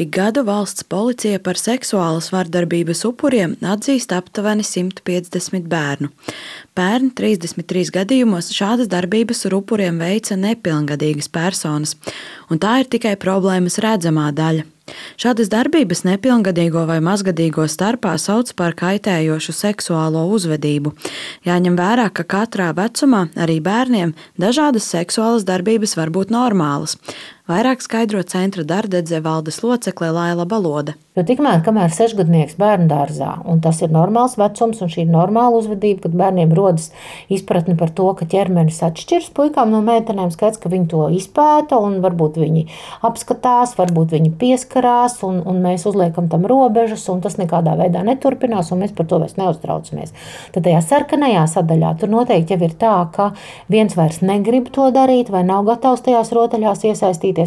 Ik gadu valsts policija par seksuālas vardarbības upuriem atzīst aptuveni 150 bērnu. Pērn 33 gadījumos šādas darbības ar upuriem veica nepilngadīgas personas, un tā ir tikai problēmas redzamā daļa. Šādas darbības nepilngadīgo vai mazgadīgo starpā sauc par kaitējošu seksuālo uzvedību. Jāņem vērā, ka katrā vecumā, arī bērniem, dažādas seksuālas darbības var būt normālas. Vairāk skaidro centra Dardedze valdes locekle Laila Balode. Jo tikmēr, kamēr 6-gadnieks bērndārzā, un tas ir normāls vecums, un šī ir normāla uzvedība, kad bērniem rodas izpratne par to, ka ķermenis atšķirs puikām no meitenēm, skaidrs, ka viņi to izpēta, un varbūt viņi apskatās, varbūt viņi pieskarās, un mēs uzliekam tam robežas, un tas nekādā veidā neturpinās, un mēs par to vairs neuztraucamies. Tad tajā sarkanajā sadaļā tur noteikti jau ir tā, ka viens vairs negrib to darīt, vai nav gatavs tajās rotaļās iesaistīties,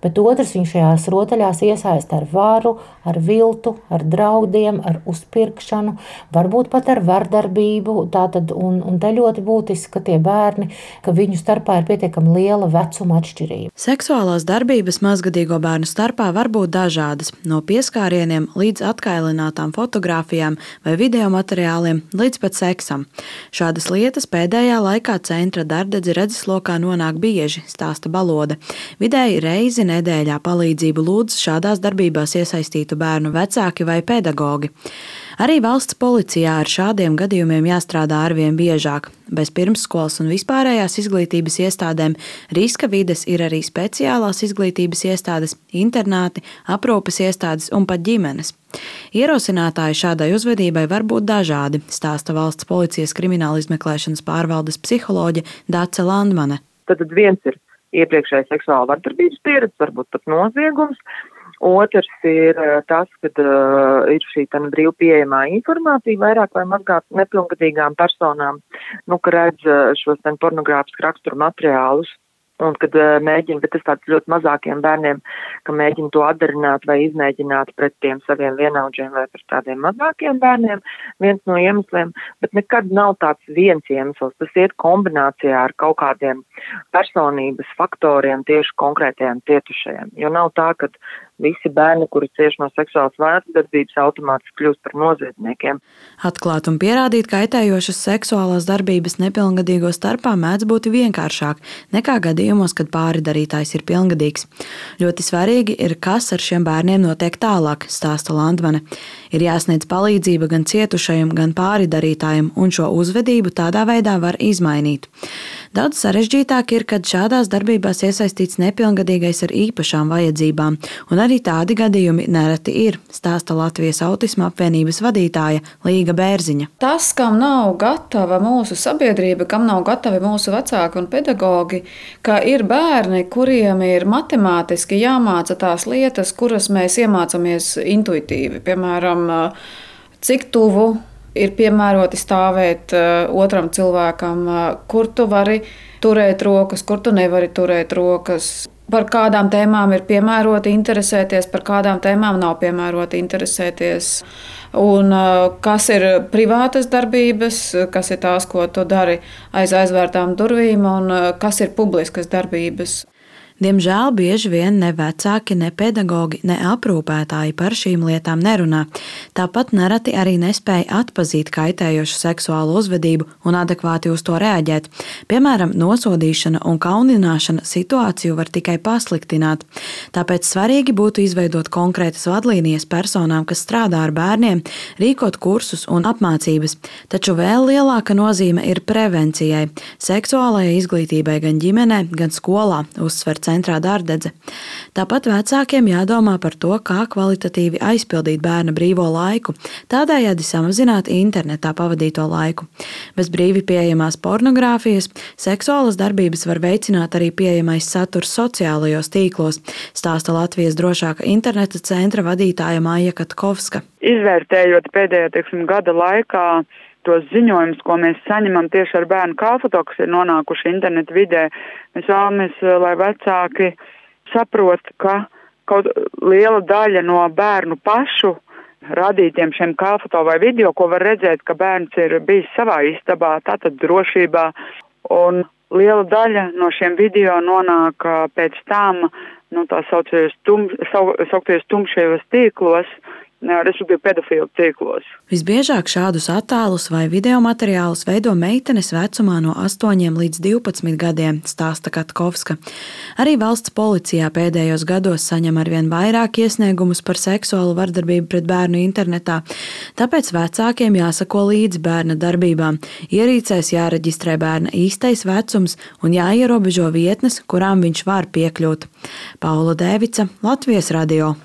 bet otrs viņš šajās rotaļās iesaista ar varu, ar viltu, ar draudiem, ar uzpirkšanu, varbūt pat ar vardarbību. Tātad, un te ļoti būtiski, ka tie bērni, ka viņu starpā ir pietiekami liela vecuma atšķirība. Seksuālās darbības mazgadīgo bērnu starpā var būt dažādas, no pieskārieniem līdz atkailinātām fotogrāfijām vai video materiāliem līdz pat seksam. Šādas lietas pēdējā laikā centra Dardedze redzeslokā nonāk bieži, stāsta Balode. Vidēji reizi nedēļā palīdzību lūdz šādās darbībās iesaistītu bērnu vecāki vai pedagogi. Arī valsts policijā ar šādiem gadījumiem jāstrādā arvien biežāk. Bez pirmsskolas un vispārējās izglītības iestādēm riska vides ir arī speciālās izglītības iestādes, internāti, aprūpes iestādes un pat ģimenes. Ierosinātāji šādai uzvedībai var būt dažādi, stāsta valsts policijas krimināla izmeklēšanas pārvaldes psiholoģe Dace Landmane. Tad viens ir iepriekšēja seksuāla vardarbības pieredze, varbūt pat noziegums. Otrs ir tas, kad ir šī brīvi pieejamā informācija vairāk vai mazāk nepilngadīgām personām, ka redz šos pornogrāfisku raksturu materiālus. Un kad mēģina, bet tas tāds ļoti mazākiem bērniem, ka mēģina to atdarināt vai izmēģināt pret tiem saviem vienaudžiem vai pret tādiem mazākiem bērniem, viens no iemesliem, bet nekad nav tāds viens iemesls. Tas iet kombinācijā ar kaut kādiem personības faktoriem tieši konkrētajiem cietušajiem. Jo nav tā, ka visi bērni, kuri cieši no seksuālas vardarbības, automātiski kļūst par noziedzniekiem. Atklāt un pierādīt kaitējošas seksuālās darbības nepilngadīgo starpā mēdz būt vienkāršāk nekā gadījumos, kad pāridarītājs ir pilngadīgs. Ļoti svarīgi ir, kas ar šiem bērniem notiek tālāk, stāsta Landmane. Ir jāsniedz palīdzība gan cietušajam, gan pāridarītājam, un šo uzvedību tādā veidā var izmainīt. Daudz sarežģītāk ir, kad šādās darbībās iesaistīts nepilngadīgais ar īpašām vajadzībām, un arī tādi gadījumi nereti ir, stāsta Latvijas autisma apvienības vadītāja Līga Bērziņa. Tas, kam nav gatava mūsu sabiedrība, kam nav gatavi mūsu vecāki un pedagogi, ka ir bērni, kuriem ir matemātiski jāmāca tās lietas, kuras mēs iemācāmies intuitīvi. Piemēram, cik tuvu ir piemēroti stāvēt otram cilvēkam, kur tu vari turēt rokas, kur tu nevari turēt rokas. Par kādām tēmām ir piemēroti interesēties, par kādām tēmām nav piemēroti interesēties. Un kas ir privātas darbības, kas ir tās, ko tu dari aiz aizvērtām durvīm, un kas ir publiskas darbības. Diemžēl bieži vien ne vecāki, ne pedagogi, ne aprūpētāji par šīm lietām nerunā. Tāpat nereti arī nespēja atpazīt kaitējošu seksuālu uzvedību un adekvāti uz to reaģēt. Piemēram, nosodīšana un kaunināšana situāciju var tikai pasliktināt. Tāpēc svarīgi būtu izveidot konkrētas vadlīnijas personām, kas strādā ar bērniem, rīkot kursus un apmācības. Taču vēl lielāka nozīme ir prevencijai, seksuālajai izglītībai gan ģimenē, gan skolā, uzsver centrā Dardedze. Tāpat vecākiem jādomā par to, kā kvalitatīvi aizpildīt bērna brīvo laiku, tādējādi samazināt internetā pavadīto laiku. Bez brīvi pieejamās pornogrāfijas seksuālas darbības var veicināt arī pieejamais saturs sociālajos tīklos, stāsta Latvijas drošāka interneta centra vadītāja Maija Katkovska. Izvērtējot pēdējā, gada laikā tos ziņojumus, ko mēs saņemam tieši ar bērnu kāfoto, kas ir nonākuši internetu vidē, mēs vēlamies, lai vecāki saprot, ka kaut liela daļa no bērnu pašu radītiem šiem kāfoto vai video, ko var redzēt, ka bērns ir bijis savā istabā, tātad drošībā, un liela daļa no šiem video nonāk pēc tam, tā sauktajos tumšajos tīklos, respektīvi pedofilu tīklos. Visbiežāk šādus attēlus vai video materiālus veido meitenes vecumā no 8 līdz 12 gadiem, stāsta Katkovska. Arī valsts policijā pēdējos gados saņem arvien vairāk iesniegumus par seksuālu vardarbību pret bērnu internetā, tāpēc vecākiem jāsako līdzi bērna darbībām, ierīcēs jāreģistrē bērna īstais vecums un jāierobežo vietnes, kurām viņš var piekļūt. Paula Dēvica, Latvijas radio.